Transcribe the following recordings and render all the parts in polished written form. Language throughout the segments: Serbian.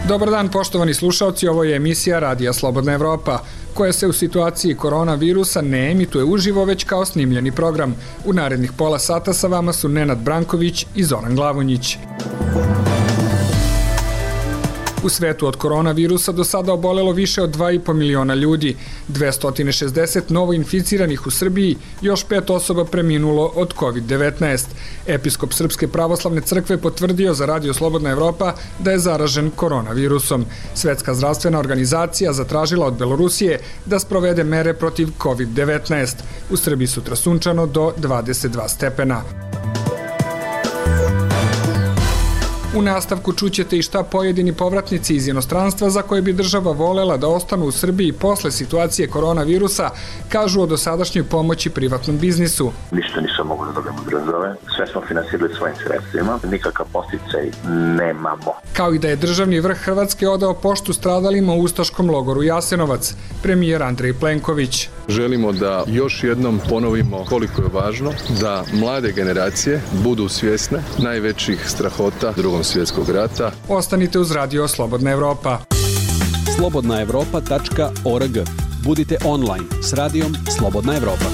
Dobar dan, poštovani slušaoci, ovo je emisija Radija Slobodna Evropa, koja se u situaciji koronavirusa ne emituje uživo, već kao snimljeni program. U narednih pola sata sa vama su Nenad Branković i Zoran Glavonjić. U svetu od koronavirusa do sada obolelo više od 2,5 miliona ljudi, 260 novoinficiranih u Srbiji, još 5 osoba preminulo od COVID-19. Episkop Srpske pravoslavne crkve potvrdio za Radio Slobodna Evropa da je zaražen koronavirusom. Svetska zdravstvena organizacija zatražila od Belorusije da sprovede mere protiv COVID-19. U Srbiji sutra sunčano do 22 stepena. U nastavku čućete i šta pojedini povratnici iz inostranstva za koje bi država volela da ostanu u Srbiji posle situacije koronavirusa kažu o dosadašnjoj pomoći privatnom biznisu. Ništa nisam mogu da dobijem od države, sve smo finansirali svojim sredstvima, nikakav podsticaj nemamo. Kao i da je državni vrh Hrvatske odao poštu stradalima u ustaškom logoru Jasenovac, premijer Andrej Plenković. Želimo da još jednom ponovimo koliko je važno da mlade generacije budu svjesne najvećih strahota Drugog svjetskog rata. Ostanite uz Radio Slobodna Evropa. slobodnaevropa.org. Budite online s Radijom Slobodna Evropa.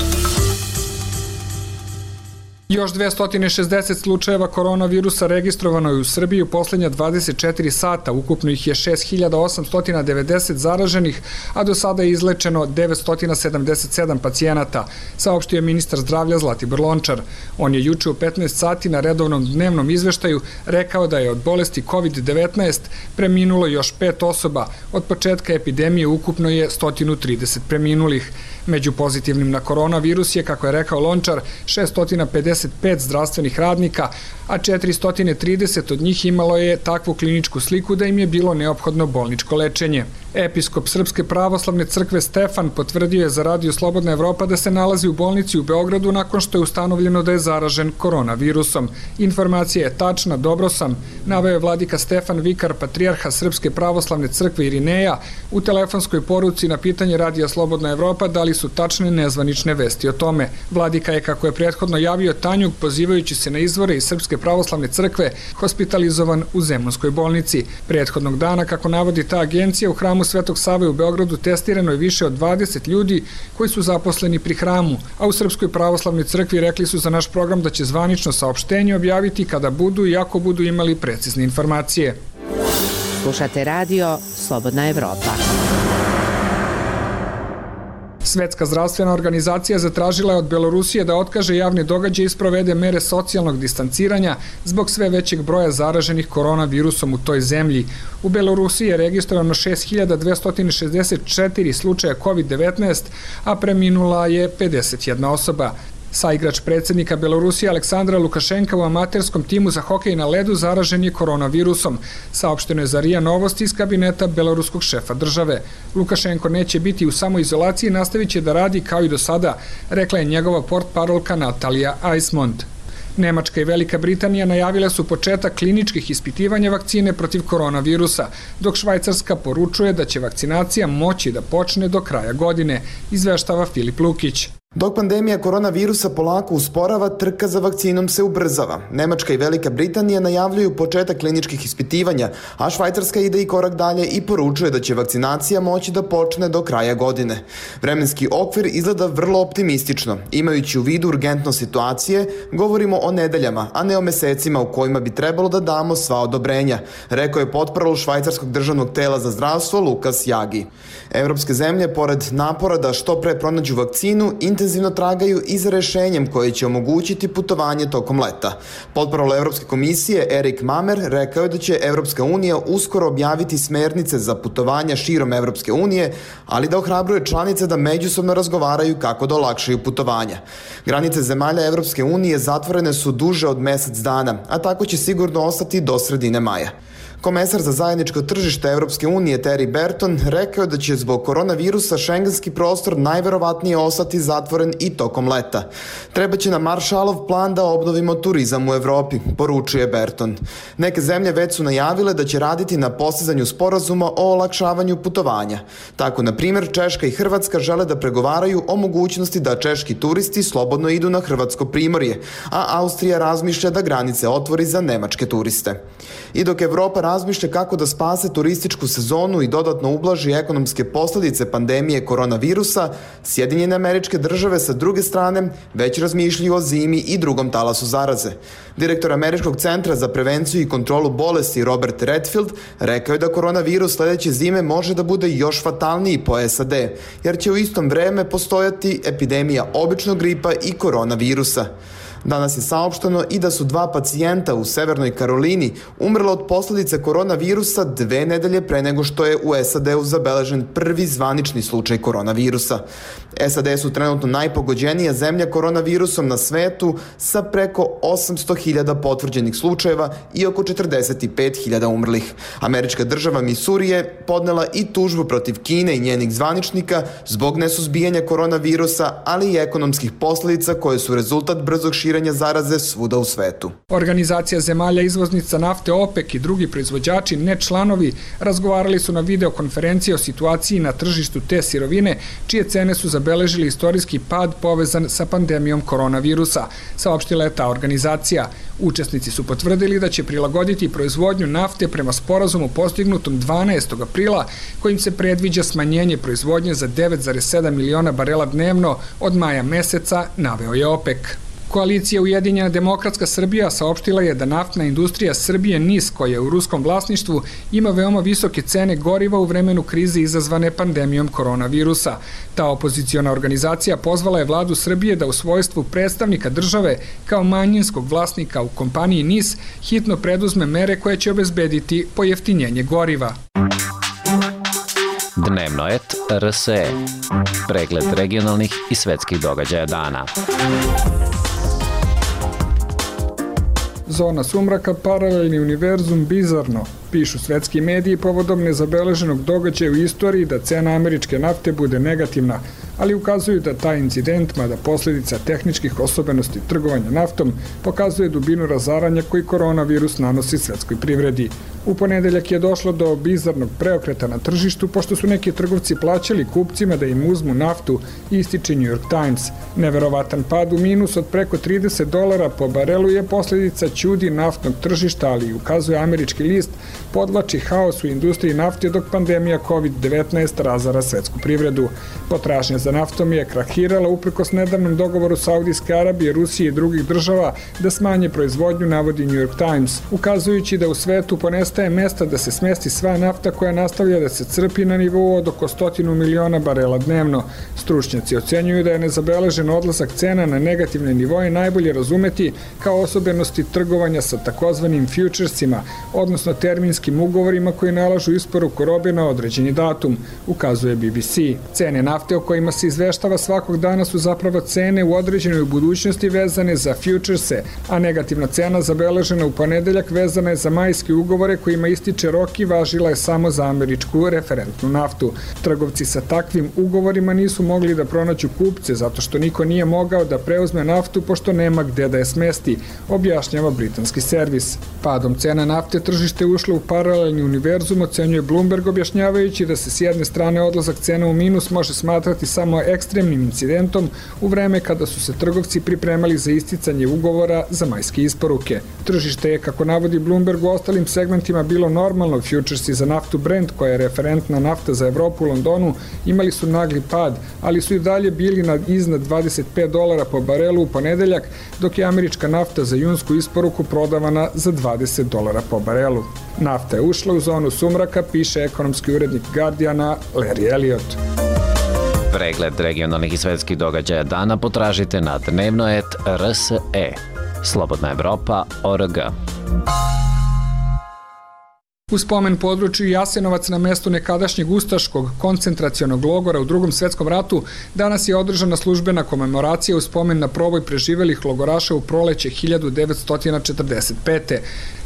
Još 260 slučajeva koronavirusa registrovano je u Srbiji u poslednja 24 sata. Ukupno ih je 6.890 zaraženih, a do sada je izlečeno 977 pacijenata, saopštio je ministar zdravlja Zlatibor Lončar. On je juče u 15 sati na redovnom dnevnom izveštaju rekao da je od bolesti COVID-19 preminulo još 5 osoba. Od početka epidemije ukupno je 130 preminulih. Među pozitivnim na koronavirus je, kako je rekao Lončar, 655 zdravstvenih radnika, a 430 od njih imalo je takvu kliničku sliku da im je bilo neophodno bolničko lečenje. Episkop Srpske pravoslavne crkve Stefan potvrdio je za Radio Slobodna Evropa da se nalazi u bolnici u Beogradu nakon što je ustanovljeno da je zaražen koronavirusom. Informacija je tačna, dobro sam, naveo je vladika Stefan, vikar patrijarha Srpske pravoslavne crkve Irineja, u telefonskoj poruci na pitanje Radija Slobodna Evropa da li su tačne nezvanične vesti o tome. Vladika je, kako je prethodno javio Tanjug, pozivajući se na izvore iz Srpske pravoslavne crkve, hospitalizovan u Zemunskoj bolnici. Prethodnog dana, kako navodi ta agencija, u hramu Svetog Save u Beogradu testirano je više od 20 ljudi koji su zaposleni pri hramu, a u Srpskoj pravoslavnoj crkvi rekli su za naš program da će zvanično saopštenje objaviti kada budu i ako budu imali precizne informacije. Slušate Radio Slobodna Evropa. Svetska zdravstvena organizacija zatražila je od Belorusije da otkaže javne događaje i sprovede mere socijalnog distanciranja zbog sve većeg broja zaraženih koronavirusom u toj zemlji. U Belorusiji je registrovano 6.264 slučaja COVID-19, a preminula je 51 osoba. Saigrač predsjednika Belorusije Aleksandra Lukašenka u amaterskom timu za hokej na ledu zaražen je koronavirusom. Saopšteno je za RIA Novosti iz kabineta beloruskog šefa države. Lukašenko neće biti u samoizolaciji i nastavit će da radi kao i do sada, rekla je njegova portparolka Natalija Eismond. Nemačka i Velika Britanija najavile su početak kliničkih ispitivanja vakcine protiv koronavirusa, dok Švajcarska poručuje da će vakcinacija moći da počne do kraja godine, izveštava Filip Lukić. Dok pandemija koronavirusa polako usporava, trka za vakcinom se ubrzava. Nemačka i Velika Britanija najavljuju početak kliničkih ispitivanja, a Švajcarska ide i korak dalje i poručuje da će vakcinacija moći da počne do kraja godine. Vremenski okvir izgleda vrlo optimistično. Imajući u vidu urgentnost situacije, govorimo o nedeljama, a ne o mesecima u kojima bi trebalo da damo sva odobrenja, rekao je portparol švajcarskog državnog tela za zdravstvo Lukas Jagi. Evropske zemlje, pored napora da što pre pronađu vakcinu, intenzivno tragaju i za rešenjem koje će omogućiti putovanje tokom leta. Portparol Evropske komisije Erik Mamer rekao je da će Evropska unija uskoro objaviti smernice za putovanja širom Evropske unije, ali da ohrabruje članice da međusobno razgovaraju kako da olakšaju putovanja. Granice zemalja Evropske unije zatvorene su duže od mesec dana, a tako će sigurno ostati do sredine maja. Komesar za zajedničko tržište Evropske unije Thierry Breton rekao je da će zbog koronavirusa šengenski prostor najverovatnije ostati zatvoren i tokom leta. Trebaće nam Maršalov plan da obnovimo turizam u Evropi, poručuje Breton. Neke zemlje već su najavile da će raditi na postizanju sporazuma o olakšavanju putovanja. Tako, na primjer, Češka i Hrvatska žele da pregovaraju o mogućnosti da češki turisti slobodno idu na hrvatsko primorje, a Austrija razmišlja da granice otvori za nemačke turiste. I dok Evropa razmišlja kako da spase turističku sezonu i dodatno ublaži ekonomske posledice pandemije koronavirusa, Sjedinjene Američke Države sa druge strane već razmišljaju o zimi i drugom talasu zaraze. Direktor Američkog centra za prevenciju i kontrolu bolesti Robert Redfield rekao je da koronavirus sledeće zime može da bude još fatalniji po SAD, jer će u istom vreme postojati epidemija običnog gripa i koronavirusa. Danas je saopšteno i da su 2 pacijenta u Severnoj Karolini umrla od posledice koronavirusa 2 nedelje pre nego što je u SAD-u zabeležen prvi zvanični slučaj koronavirusa. SAD su trenutno najpogođenija zemlja koronavirusom na svetu sa preko 800.000 potvrđenih slučajeva i oko 45.000 umrlih. Američka država Misuri je podnela i tužbu protiv Kine i njenih zvaničnika zbog nesuzbijanja koronavirusa, ali i ekonomskih posledica koje su rezultat brzog širenja zaraze svuda u svetu. Organizacija zemalja izvoznica nafte OPEC i drugi proizvođači, ne članovi, razgovarali su na videokonferenciji o situaciji na tržištu te sirovine, čije cene su zabeležili istorijski pad povezan sa pandemijom koronavirusa, saopštila je ta organizacija. Učesnici su potvrdili da će prilagoditi proizvodnju nafte prema sporazumu postignutom 12. aprila, kojim se predviđa smanjenje proizvodnje za 9,7 miliona barela dnevno od maja meseca, naveo je OPEC. Koalicija Ujedinjena demokratska Srbija saopštila je da naftna industrija Srbije NIS, koja je u ruskom vlasništvu, ima veoma visoke cene goriva u vremenu krize izazvane pandemijom koronavirusa. Ta opoziciona organizacija pozvala je vladu Srbije da u svojstvu predstavnika države kao manjinskog vlasnika u kompaniji NIS hitno preduzme mere koje će obezbediti pojeftinjenje goriva. Dnevnoet RSE. Pregled regionalnih i svetskih događaja dana. Zona sumraka, paralelni univerzum, bizarno, pišu svetski mediji povodom nezabeleženog događaja u istoriji da cena američke nafte bude negativna, ali ukazuju da taj incident, mada posledica tehničkih osobenosti trgovanja naftom, pokazuje dubinu razaranja koji koronavirus nanosi svetskoj privredi. U ponedeljak je došlo do bizarnog preokreta na tržištu, pošto su neki trgovci plaćali kupcima da im uzmu naftu, ističe New York Times. Neverovatan pad u minus od preko $30 po barelu je posledica ćudi naftnog tržišta, ali ukazuje američki list, podvlači haos u industriji nafte dok pandemija COVID-19 razara svetsku privredu. Potražnja za naftom je krahirala uprkos nedavnom dogovoru Saudijske Arabije, Rusije i drugih država da smanje proizvodnju, navodi New York Times, ukazujući da u svetu ponestaje mesta da se smesti sva nafta koja nastavlja da se crpi na nivou od oko 100 miliona barela dnevno. Stručnjaci ocenjuju da je nezabeležen odlazak cena na negativne nivoje najbolje razumeti kao osobenosti trgovanja sa takozvanim futuresima, odnosno terminskim ugovorima koji nalažu isporuku robe na određeni datum, ukazuje BBC. Cene nafte o kojima se izveštava svakog dana su zapravo cene u određenoj budućnosti vezane za futurese, a negativna cena zabeležena u ponedeljak vezana je za majske ugovore kojima ističe rok i važila je samo za američku referentnu naftu. Trgovci sa takvim ugovorima nisu mogli da pronađu kupce zato što niko nije mogao da preuzme naftu pošto nema gde da je smesti, objašnjava britanski servis. Padom cena nafte tržište ušlo u paralelni univerzum, ocenjuje Bloomberg, objašnjavajući da se s jedne strane odlazak cena u minus može smatrati samo ekstremnim incidentom u vreme kada su se trgovci pripremali za isticanje ugovora za majske isporuke. Tržište je, kako navodi Bloomberg, u ostalim segmentima bilo normalno. Futuresi za naftu Brent, koja je referentna nafta za Evropu u Londonu, imali su nagli pad, ali su i dalje bili iznad $25 po barelu u ponedeljak, dok je američka nafta za junsku isporuku prodavana za $20 po barelu. Nafta je ušla u zonu sumraka, piše ekonomski urednik Guardiana Larry Elliott. Pregled regionalnih i svetskih događaja dana potražite na Dnevnoet RSE. Slobodna Evropa.org. U spomen području Jasenovac na mestu nekadašnjeg ustaškog koncentracionog logora u Drugom svetskom ratu danas je održana službena komemoracija u spomen na proboj preživelih logoraša u proleće 1945.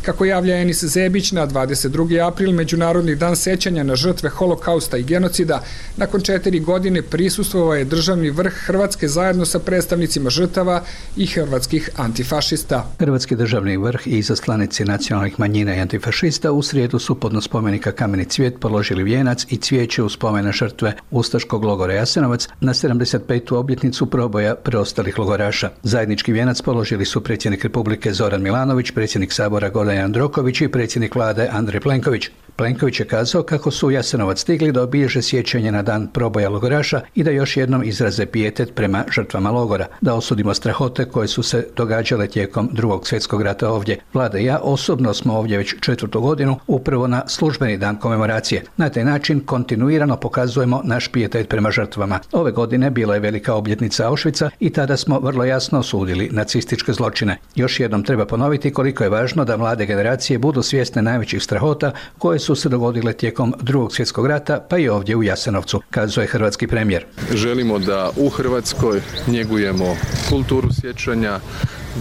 Kako javlja Enis Zebić, na 22. april, Međunarodni dan sećanja na žrtve holokausta i genocida, nakon 4 godine prisustvovao je državni vrh Hrvatske zajedno sa predstavnicima žrtava i hrvatskih antifašista. Hrvatski državni vrh i izaslanici nacionalnih manjina i antifašista u srijedu su podnos spomenika Kameni cvijet položili vijenac i cvijeće u spomen na žrtve ustaškog logora Jasenovac na 75. obljetnicu proboja preostalih logoraša. Zajednički vijenac položili su predsjednik Republike Zoran Milanović, predsjednik Sabora Gordan Jandroković i predsjednik vlade Andrej Plenković. Plenković je kazao kako su u Jasenovac stigli da obilježe sjećanje na dan proboja logoraša i da još jednom izraze pijetet prema žrtvama logora, da osudimo strahote koje su se događale tijekom Drugog svjetskog rata ovdje. Vlada i ja osobno smo ovdje već 4. godinu upravo na službeni dan komemoracije. Na taj način kontinuirano pokazujemo naš pijetet prema žrtvama. Ove godine bila je velika obljetnica Auschwitza i tada smo vrlo jasno osudili nacističke zločine. Još jednom treba ponoviti koliko je važno da mlade generacije budu svjesne najvećih strahota koje su se dogodile tijekom Drugog svjetskog rata, pa i ovdje u Jasenovcu, kazuje hrvatski premijer. Želimo da u Hrvatskoj njegujemo kulturu sjećanja,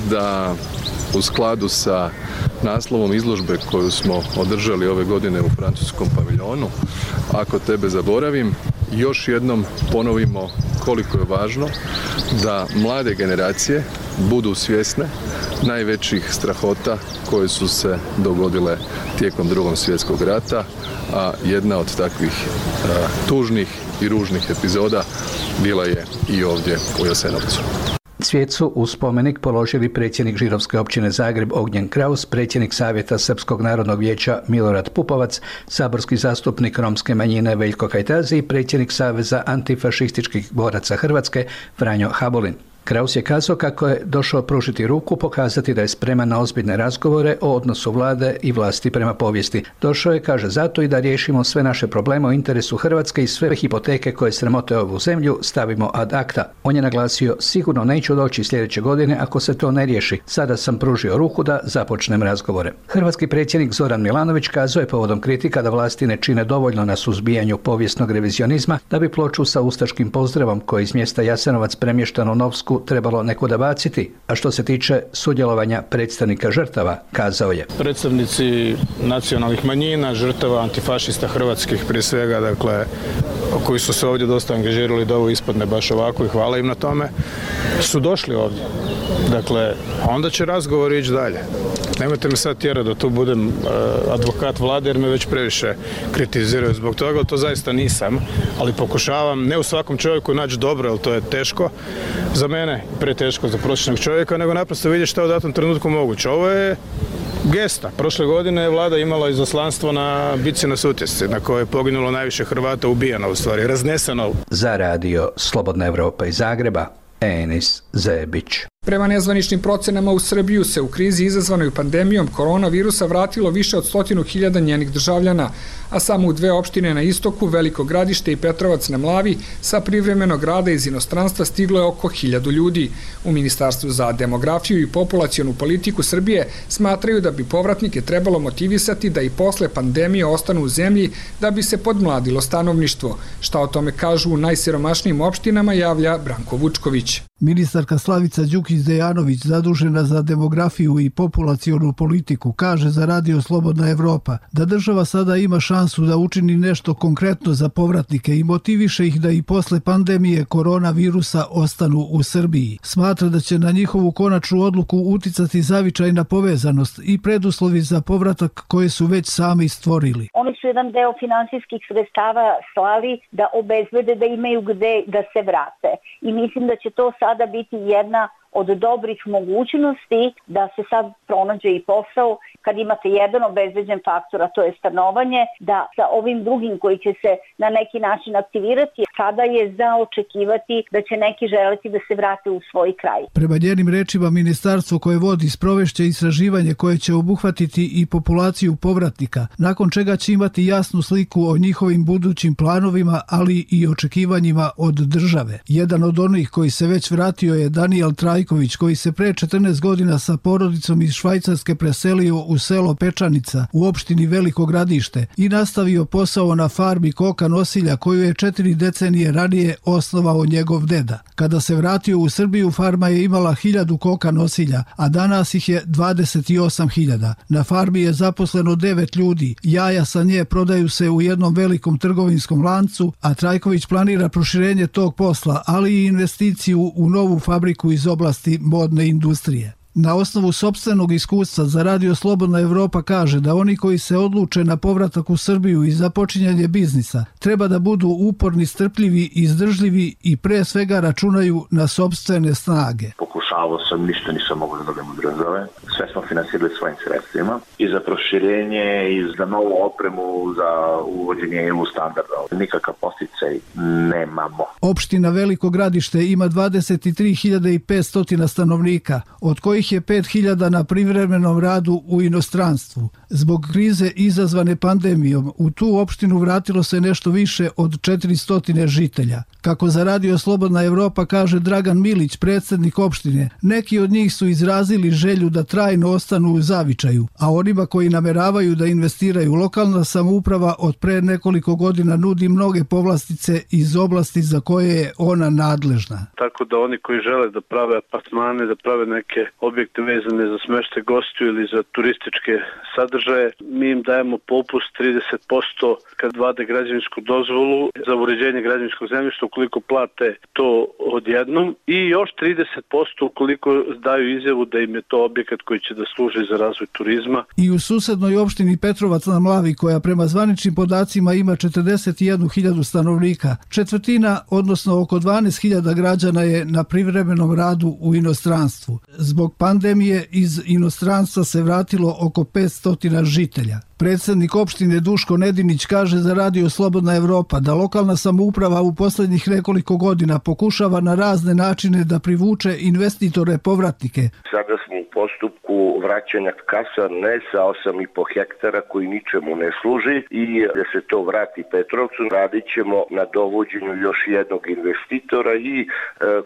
da u skladu sa naslovom izložbe koju smo održali ove godine u francuskom paviljonu, Ako tebe zaboravim, još jednom ponovimo koliko je važno da mlade generacije budu svjesne najvećih strahota koje su se dogodile tijekom Drugog svjetskog rata, a jedna od takvih tužnih i ružnih epizoda bila je i ovdje u Jasenovcu. Cvijet su u spomenik položili predsjednik Žirovske općine Zagreb Ognjen Kraus, predsjednik Savjeta Srpskog narodnog vijeća Milorad Pupovac, saborski zastupnik romske manjine Veljko Kajtazi i predsjednik Saveza antifašističkih boraca Hrvatske Franjo Habulin. Kraus je kazao kako je došao pružiti ruku, pokazati da je spreman na ozbiljne razgovore o odnosu vlade i vlasti prema povijesti. Došao je, kaže, zato i da riješimo sve naše probleme u interesu Hrvatske i sve hipoteke koje sramote ovu zemlju stavimo ad acta. On je naglasio, sigurno neću doći sljedeće godine ako se to ne riješi. Sada sam pružio ruku da započnem razgovore. Hrvatski predsjednik Zoran Milanović kazao je povodom kritika da vlasti ne čine dovoljno na suzbijanju povijesnog revizionizma da bi ploču sa ustaškim pozdravom koji iz mjesta Jasenovac premještan u Novsku trebalo nekuda baciti, a što se tiče sudjelovanja predstavnika žrtava, kazao je. Predstavnici nacionalnih manjina, žrtava antifašista hrvatskih prije svega, dakle, koji su se ovdje dosta angažirali da ovo ispadne baš ovako i hvala im na tome, su došli ovdje. Dakle, onda će razgovor ići dalje. Nemojte me sad tjerati da tu budem advokat vlade jer me već previše kritiziraju zbog toga, to zaista nisam, ali pokušavam ne u svakom čovjeku naći dobro, jer to je teško za mene, preteško za prosječnog čovjeka, nego naprosto vidjeti što je u datom trenutku moguće. Ovo je gesta. Prošle godine je vlada imala izaslanstvo na bitci na Sutjesci, na kojoj je poginulo najviše Hrvata, ubijeno u stvari, razneseno. Za radio Slobodna Evropa iz Zagreba, Enis Zebić. Prema nezvaničnim procenama u Srbiju se u krizi izazvanoj pandemijom koronavirusa vratilo više od 100.000 njenih državljana, a samo u 2 opštine na istoku, Veliko Gradište i Petrovac na Mlavi, sa privremenog rada iz inostranstva stiglo je oko 1.000 ljudi. U Ministarstvu za demografiju i populacionu politiku Srbije smatraju da bi povratnike trebalo motivisati da i posle pandemije ostanu u zemlji da bi se podmladilo stanovništvo. Šta o tome kažu u najsiromašnijim opštinama, javlja Branko Vučković. Ministarka Slavica Đukić-Dejanović, zadužena za demografiju i populacionu politiku, kaže za radio Slobodna Evropa da država sada ima šansu da učini nešto konkretno za povratnike i motiviše ih da i posle pandemije koronavirusa ostanu u Srbiji. Smatra da će na njihovu konačnu odluku uticati zavičajna povezanost i preduslovi za povratak koje su već sami stvorili. Oni su jedan deo finansijskih sredstava slali da obezbede da imaju gde da se vrate. I mislim da će to sada biti jedna od dobrih mogućnosti da se sad pronađe i posao kad imate jedan obezbeđen faktor, a to je stanovanje, da sa ovim drugim koji će se na neki način aktivirati, sada je za očekivati da će neki želeti da se vrate u svoj kraj. Prema njenim rečima, ministarstvo koje vodi sprovešće istraživanje koje će obuhvatiti i populaciju povratnika, nakon čega će imati jasnu sliku o njihovim budućim planovima, ali i očekivanjima od države. Jedan od onih koji se već vratio je Daniel Trajković Trajković, koji se pre 14 godina sa porodicom iz Švajcarske preselio u selo Pečanica u opštini Veliko Gradište i nastavio posao na farmi koka nosilja koju je 4 decenije ranije osnovao njegov deda. Kada se vratio u Srbiju, farma je imala 1000 koka nosilja, a danas ih je 28.000. Na farmi je zaposleno 9 ljudi. Jaja sa nje prodaju se u jednom velikom trgovinskom lancu, a Trajković planira proširenje tog posla, ali i investiciju u novu fabriku iz oblasti modne industrije. Na osnovu sopstvenog iskustva za Radio Slobodna Evropa kaže da oni koji se odluče na povratak u Srbiju i započinjanje biznisa treba da budu uporni, strpljivi, izdržljivi i pre svega računaju na sopstvene snage. Pokušavao sam, ništa nisam mogao da dobijem od države. Sve smo finansirali svojim sredstvima i za proširenje i za novu opremu, za uvođenje EU standarda. Nikakav posticaj nemamo. Opština Veliko Gradište ima 23.500 stanovnika, od kojih je 5.000 na privremenom radu u inostranstvu. Zbog krize izazvane pandemijom, u tu opštinu vratilo se nešto više od 400 žitelja. Kako za Radio Slobodna Evropa kaže Dragan Milić, predsjednik opštine, neki od njih su izrazili želju da trajno ostanu u zavičaju, a onima koji nameravaju da investiraju, lokalna samouprava od pre nekoliko godina nudi mnoge povlastice iz oblasti za koje je ona nadležna. Tako da oni koji žele da prave apartmane, da prave neke objekte vezane za smeštaj gostiju ili za turističke sadržaje, mi im dajemo popust 30% kad vade građevinsku dozvolu za uređenje građevinskog zemljišta ukoliko plate to odjednom i još 30% ukoliko daju izjavu da im je to objekat koji će da služi za razvoj turizma. I u susednoj opštini Petrovac na Mlavi, koja prema zvaničnim podacima ima 41.000 stanovnika, četvrtina, odnosno oko 12.000 građana je na privremenom radu u inostranstvu. Zbog pandemije iz inostranstva se vratilo oko 500 žitelja. Predsjednik opštine Duško Nedinić kaže za Radio Slobodna Evropa da lokalna samouprava u posljednjih nekoliko godina pokušava na razne načine da privuče investitore povratnike. Sada smo u postupku vraćanja kasarne sa 8,5 hektara koji ničemu ne služi i da se to vrati Petrovcu. Radit ćemo na dovođenju još jednog investitora i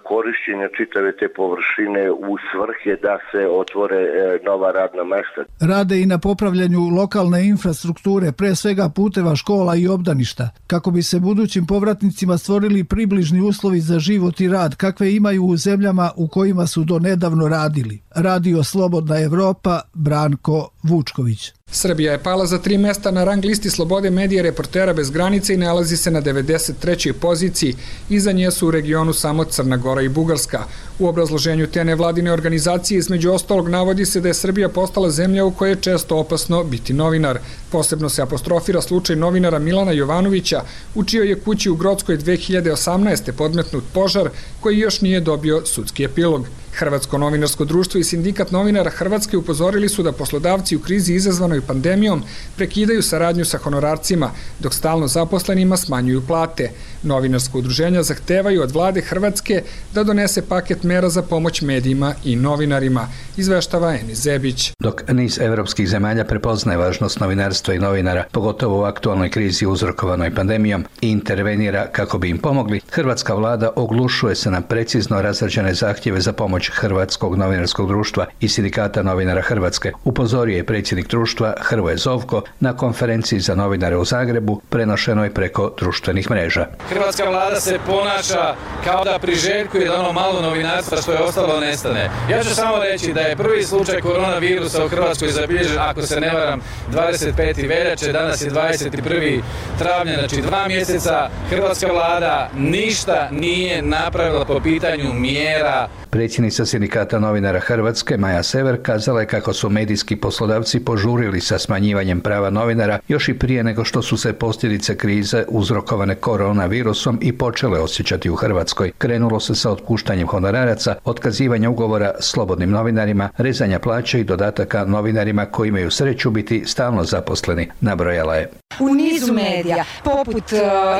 korišćenja čitave te površine u svrhe da se otvore nova radna mesta. Rade i na popravljanju lokalne infrastrukture, pre svega puteva, škola i obdaništa, kako bi se budućim povratnicima stvorili približni uslovi za život i rad kakve imaju u zemljama u kojima su do nedavno radili. Radio Slobodna Evropa, Branko Vučković. Srbija je pala za 3 mesta na rang listi slobode medija Reportera bez granice i nalazi se na 93. poziciji. Iza nje su u regionu samo Crna Gora i Bugarska. U obrazloženju te nevladine organizacije između ostalog navodi se da je Srbija postala zemlja u kojoj je često opasno biti novinar. Posebno se apostrofira slučaj novinara Milana Jovanovića, u čijoj je kući u Grockoj 2018. podmetnut požar koji još nije dobio sudski epilog. Hrvatsko novinarsko društvo i Sindikat novinara Hrvatske upozorili su da poslodavci u krizi izazvanoj pandemijom prekidaju saradnju sa honorarcima, dok stalno zaposlenima smanjuju plate. Novinarsko udruženja zahtevaju od vlade Hrvatske da donese paket mera za pomoć medijima i novinarima, izveštava Enis Zebić. Dok niz evropskih zemalja prepoznaje važnost novinarstva i novinara, pogotovo u aktualnoj krizi uzrokovanoj pandemijom, i intervenira kako bi im pomogli, hrvatska vlada oglušuje se na precizno razrađene zahtjeve za pomoć Hrvatskog novinarskog društva i Sindikata novinara Hrvatske, upozorio je predsjednik društva Hrvoje Zovko na konferenciji za novinare u Zagrebu, prenošenoj preko društvenih mreža. Hrvatska vlada se ponaša kao da priželjkuje da ono malo novinarstva što je ostalo nestane. Ja ću samo reći da je prvi slučaj koronavirusa u Hrvatskoj zabilježen, ako se ne varam, 25. veljače, danas je 21. travnja, znači 2 mjeseca. Hrvatska vlada ništa nije napravila po pitanju mjera. Predsjednica Sindikata novinara Hrvatske, Maja Sever, kazala je kako su medijski poslodavci požurili sa smanjivanjem prava novinara još i prije nego što su se posljedice krize uzrokovane koronavirusom i počele osjećati u Hrvatskoj. Krenulo se sa otpuštanjem honoraraca, otkazivanja ugovora slobodnim novinarima, rezanja plaće i dodataka novinarima koji imaju sreću biti stalno zaposleni, nabrojala je. U nizu medija, poput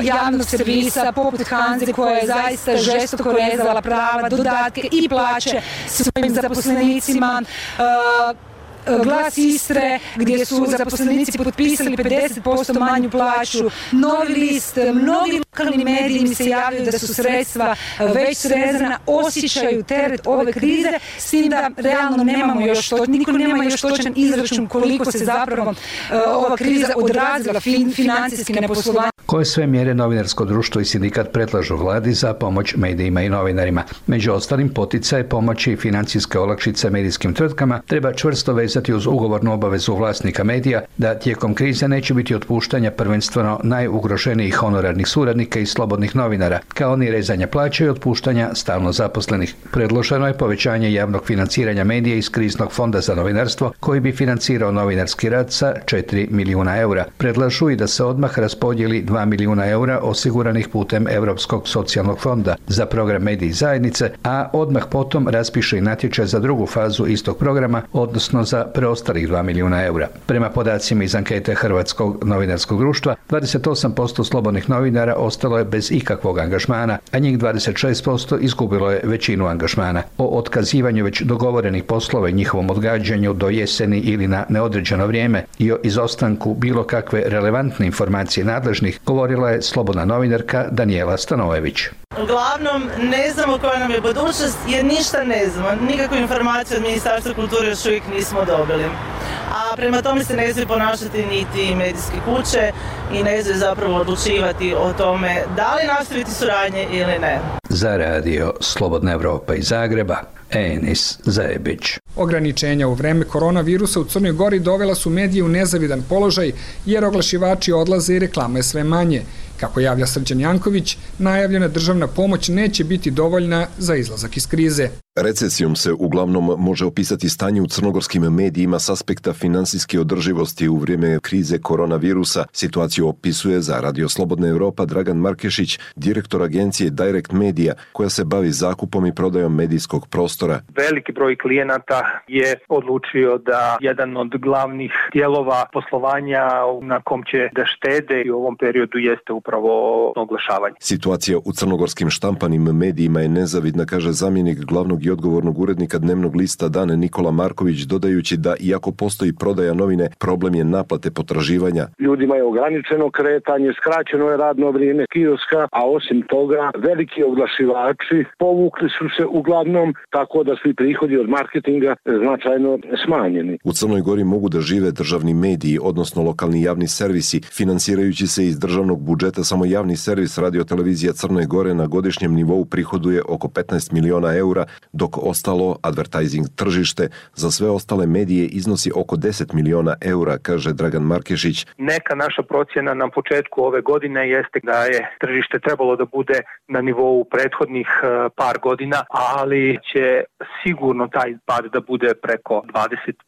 javnog servisa, poput Hanze koja je zaista žestoko rezala prava, dodatke i plaće svojim zaposlenicima, Glas Istre, gdje su zaposlenici potpisali 50% manju plaću, Novi list, mnogi lokalni mediji mi se javljaju da su sredstva već srezana, osjećaju teret ove krize, s tim da realno nemamo još niko nema još točan izračun koliko se zapravo ova kriza odrazila financijski na poslovanje. Koje sve mjere novinarsko društvo i sindikat predlažu vladi za pomoć medijima i novinarima? Među ostalim, poticaje, pomoći i financijske olakšice medijskim tvrtkama treba čvrsto vezati uz ugovornu obavezu vlasnika medija da tijekom krize neće biti otpuštanja prvenstveno najugroženijih honorarnih suradnika i slobodnih novinara, kao ni rezanja plaća i otpuštanja stalno zaposlenih. Predloženo je povećanje javnog financiranja medija iz kriznog fonda za novinarstvo koji bi financirao novinarski rad sa 4 milijuna eura. Predlažu i da se odmah raspodijeli 2 milijuna eura osiguranih putem Europskog socijalnog fonda za program Mediji zajednice, a odmah potom raspiše i natječaj za drugu fazu istog programa, odnosno za preostalih 2 milijuna eura. Prema podacima iz ankete Hrvatskog novinarskog društva, 28% slobodnih novinara ostalo je bez ikakvog angažmana, a njih 26% izgubilo je većinu angažmana. O otkazivanju već dogovorenih poslova i njihovom odgađanju do jeseni ili na neodređeno vrijeme i o izostanku bilo kakve relevantne informacije nadležnih govorila je slobodna novinarka Danijela Stanojević. Uglavnom, ne znamo koja nam je budućnost jer ništa ne znamo. Nikakvu informaciju od Ministarstva kulture još uvijek nismo dobili. A prema tome se ne smije ponašati niti medijske kuće i ne smije zapravo odlučivati o tome da li nastaviti suradnje ili ne. Za radio Slobodna Evropa iz Zagreba, Enis Zajebić. Ograničenja u vreme koronavirusa u Crnoj Gori dovela su medije u nezavidan položaj jer oglašivači odlaze i reklama je sve manje. Kako javlja Srđan Janković, najavljena državna pomoć neće biti dovoljna za izlazak iz krize. Recesijom se uglavnom može opisati stanje u crnogorskim medijima s aspekta finansijske održivosti u vrijeme krize koronavirusa. Situaciju opisuje za Radio Slobodna Evropa Dragan Markešić, direktor agencije Direct Media, koja se bavi zakupom i prodajom medijskog prostora. Veliki broj klijenata je odlučio da jedan od glavnih dijelova poslovanja na kom će da štede i u ovom periodu jeste upravo oglašavanje. Situacija u crnogorskim štampanim medijima je nezavidna, kaže zamjenik glavnog i odgovornog urednika dnevnog lista Dan Nikola Marković, dodajući da iako postoji prodaja novine, problem je naplate potraživanja. Ljudima je ograničeno kretanje, skraćeno je radno vrijeme kioska, a osim toga veliki oglašivači povukli su se uglavnom, tako da su i prihodi od marketinga značajno smanjeni. U Crnoj Gori mogu da žive državni mediji, odnosno lokalni javni servisi, finansirajući se iz državnog budžeta. Samo javni servis Radio-televizija Crne Gore na godišnjem nivou prihoduje oko 15 miliona eura, dok ostalo advertising tržište za sve ostale medije iznosi oko 10 miliona eura, kaže Dragan Markešić. Neka naša procjena na početku ove godine jeste da je tržište trebalo da bude na nivou prethodnih par godina, ali će sigurno taj pad da bude preko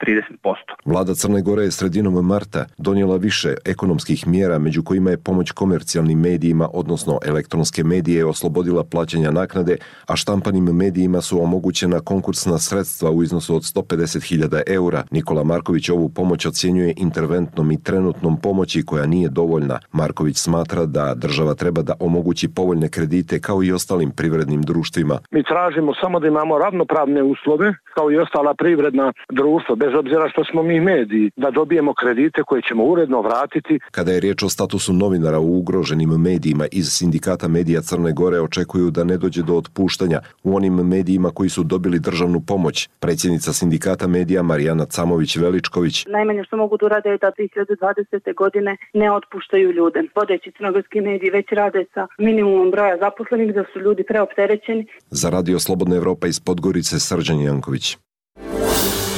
20-30%. Vlada Crne Gore je sredinom marta donijela više ekonomskih mjera, među kojima je pomoć komercijalnim medijima, odnosno elektronske medije, oslobodila plaćanja naknade, a štampanim medijima su omogućena konkursna sredstva u iznosu od 150.000 eura. Nikola Marković ovu pomoć ocjenjuje interventnom i trenutnom pomoći koja nije dovoljna. Marković smatra da država treba da omogući povoljne kredite kao i ostalim privrednim društvima. Mi tražimo samo da imamo ravnopravne uslove kao i ostala privredna društva, bez obzira što smo mi mediji, da dobijemo kredite koje ćemo uredno vratiti. Kada je riječ o statusu novinara u ugroženim medijima, iz Sindikata medija Crne Gore očekuju da ne dođe do otpuštanja u onim medijima koji su dobili državnu pomoć. Predsjednica Sindikata medija Marijana Camović-Veličković. Najmanje što mogu da urade je da 2020. godine ne otpuštaju ljude. Vodeći crnogorski mediji već rade sa minimumom broja zaposlenih, da su ljudi preopterećeni. Za Radio Slobodna Evropa iz Podgorice, Srđan Janković.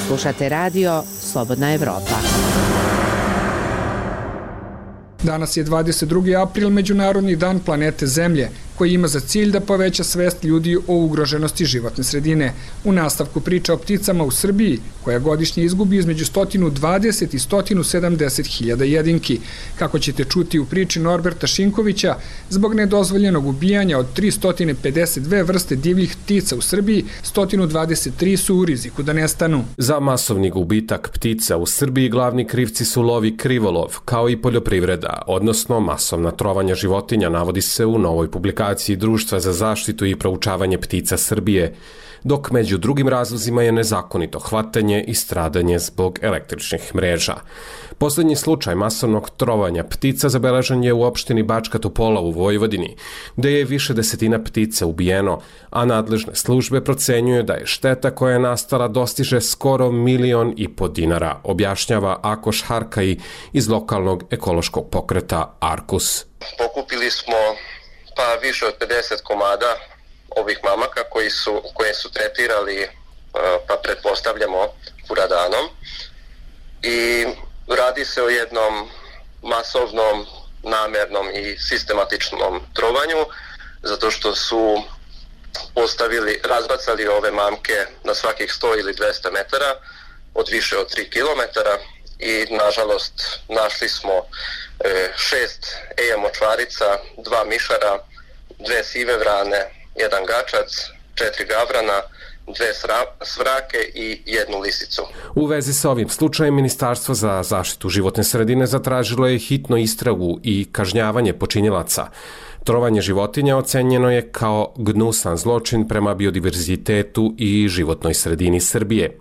Slušate radio Slobodna Evropa. Danas je 22. april, Međunarodni dan planete Zemlje, koji ima za cilj da poveća svest ljudi o ugroženosti životne sredine. U nastavku priča o pticama u Srbiji, koja godišnje izgubi između 120 i 170 hiljada jedinki. Kako ćete čuti u priči Norberta Šinkovića, zbog nedozvoljenog ubijanja od 352 vrste divljih ptica u Srbiji, 123 su u riziku da nestanu. Za masovni gubitak ptica u Srbiji glavni krivci su lov i krivolov, kao i poljoprivreda, odnosno masovna trovanja životinja, navodi se u novoj publikaciji. organizaciji Društva za zaštitu i proučavanje ptica Srbije, dok među drugim razlozima je nezakonito hvatanje i stradanje zbog električnih mreža. Poslednji slučaj masovnog trovanja ptica zabeležen je u opštini Bačka Topola u Vojvodini, gde je više desetina ptica ubijeno, a nadležne službe procenjuju da je šteta koja je nastala dostiže skoro 1,5 miliona dinara, objašnjava Akoš Harkaj iz lokalnog ekološkog pokreta Arkus. Pokupili smo više od 50 komada ovih mamaka koje su tretirali, pretpostavljamo, furadanom. I radi se o jednom masovnom, namernom i sistematičnom trovanju, zato što su razbacali ove mamke na svakih 100 ili 200 metara od više od 3 kilometara i nažalost našli smo 6 eja močvarica, 2 mišara, 2 sive vrane, 1 gačac, 4 gavrana, 2 svrake i 1 lisicu. U vezi sa ovim slučajem, Ministarstvo za zaštitu životne sredine zatražilo je hitno istragu i kažnjavanje počinilaca. Trovanje životinja ocenjeno je kao gnusan zločin prema biodiverzitetu i životnoj sredini Srbije.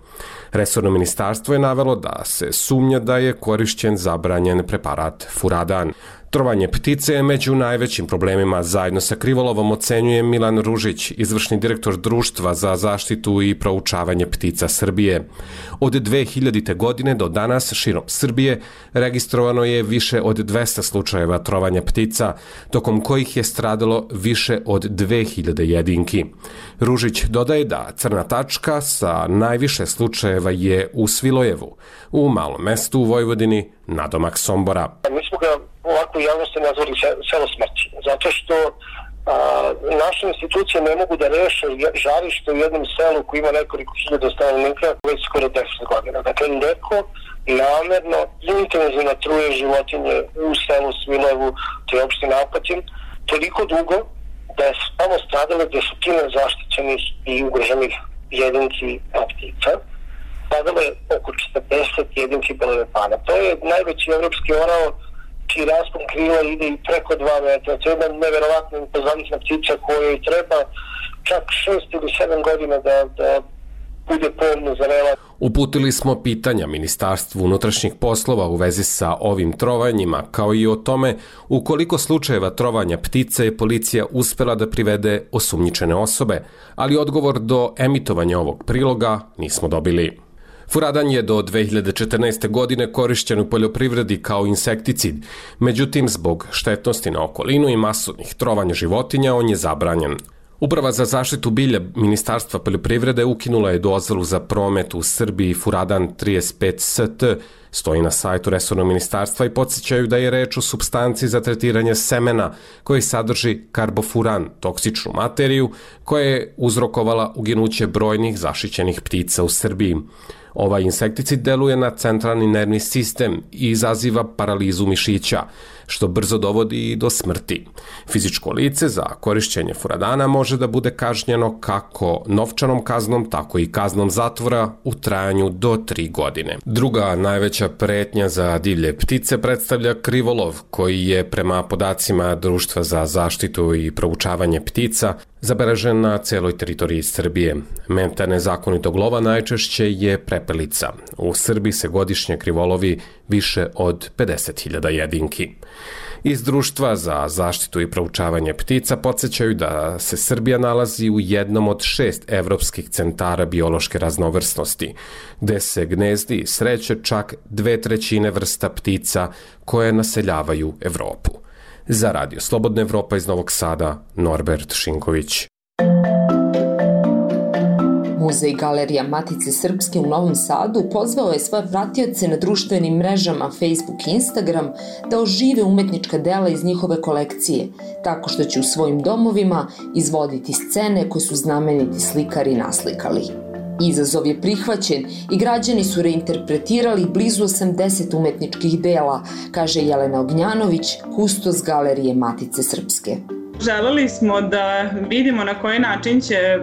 Resorno ministarstvo je navelo da se sumnja da je korišćen zabranjen preparat furadan. Trovanje ptice je među najvećim problemima zajedno sa krivolovom, ocenjuje Milan Ružić, izvršni direktor Društva za zaštitu i proučavanje ptica Srbije. Od 2000. godine do danas širom Srbije registrovano je više od 200 slučajeva trovanja ptica, tokom kojih je stradalo više od 2000 jedinki. Ružić dodaje da crna tačka sa najviše slučajeva je u Svilojevu, u malom mestu u Vojvodini, nadomak Sombora. Mi smo ga ovako u javnosti nazvali selo smrći, zato što naše institucije ne mogu da reše žarište u jednom selu koji ima nekoliko hiljada stanovnika već skoro 10 godina. Dakle, neko namerno intenzivno truje životinje u selu Svilojevu, to je opština Apatin, toliko dugo da je samo stradale desetine zaštićenih i ugroženih jedinki ptica. Stradalo je oko 40 jedinki belolepana. To je najveći evropski orao čiji raspon krila ide i preko 2 metra. To je jedna neverovatna impozantna ptica kojoj treba čak 6 ili 7 godina da bude polno zrela. Uputili smo pitanja Ministarstvu unutrašnjih poslova u vezi sa ovim trovanjima, kao i o tome u koliko slučajeva trovanja ptice je policija uspela da privede osumnjičene osobe, ali odgovor do emitovanja ovog priloga nismo dobili. Furadan je do 2014. godine korišćen u poljoprivredi kao insekticid, međutim zbog štetnosti na okolinu i masovnih trovanja životinja on je zabranjen. Uprava za zaštitu bilja Ministarstva poljoprivrede ukinula je dozvolu za promet u Srbiji furadan 35 ST, stoji na sajtu resornog ministarstva i podsjećaju da je reč o supstanci za tretiranje semena koji sadrži karbofuran, toksičnu materiju koja je uzrokovala uginuće brojnih zaštićenih ptica u Srbiji. Ovaj insekticid deluje na centralni nervni sistem i izaziva paralizu mišića, što brzo dovodi i do smrti. Fizičko lice za korišćenje furadana može da bude kažnjeno kako novčanom kaznom, tako i kaznom zatvora u trajanju do 3 godine. Druga najveća pretnja za divlje ptice predstavlja krivolov, koji je prema podacima Društva za zaštitu i proučavanje ptica zabeležen na celoj teritoriji Srbije. Meta nezakonitog lova najčešće je prepelica. U Srbiji se godišnje krivolovi više od 50.000 jedinki. Iz Društva za zaštitu i proučavanje ptica podsjećaju da se Srbija nalazi u jednom od 6 evropskih centara biološke raznovrsnosti, gde se gnezdi i sreće čak 2/3 vrsta ptica koje naseljavaju Evropu. Za Radio Slobodna Evropa iz Novog Sada, Norbert Šinković. Muzej Galerija Matice Srpske u Novom Sadu pozvao je svoje pratioce na društvenim mrežama Facebook i Instagram da ožive umetnička dela iz njihove kolekcije, tako što će u svojim domovima izvoditi scene koje su znameniti slikari naslikali. Izazov je prihvaćen i građani su reinterpretirali blizu 80 umetničkih dela, kaže Jelena Ognjanović, kustos Galerije Matice Srpske. Želeli smo da vidimo na koji način će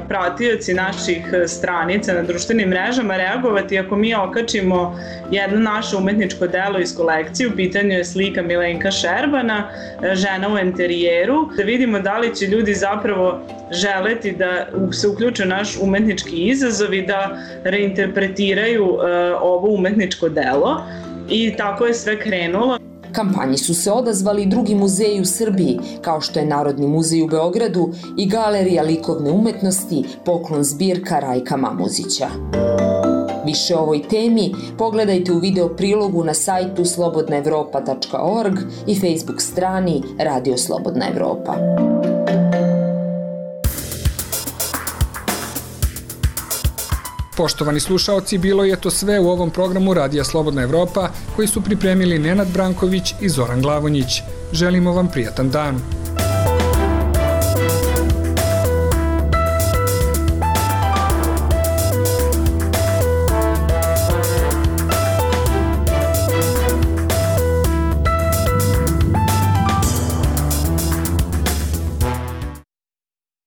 pratioci naših stranica na društvenim mrežama reagovati ako mi okačimo jedno naše umetničko delo iz kolekcije. U pitanju je slika Milenka Šerbana, Žena u enterijeru. Da vidimo da li će ljudi zapravo želeti da se uključe u naš umetnički izazov i da reinterpretiraju ovo umetničko delo. I tako je sve krenulo. Kampanji su se odazvali i drugi muzeji u Srbiji, kao što je Narodni muzej u Beogradu i Galerija likovne umetnosti Poklon zbirka Rajka Mamuzića. Više o ovoj temi pogledajte u video prilogu na sajtu slobodnaevropa.org i Facebook strani Radio Slobodna Evropa. Poštovani slušaoci, bilo je to sve u ovom programu Radija Slobodna Evropa koji su pripremili Nenad Branković i Zoran Glavonjić. Želimo vam prijatan dan.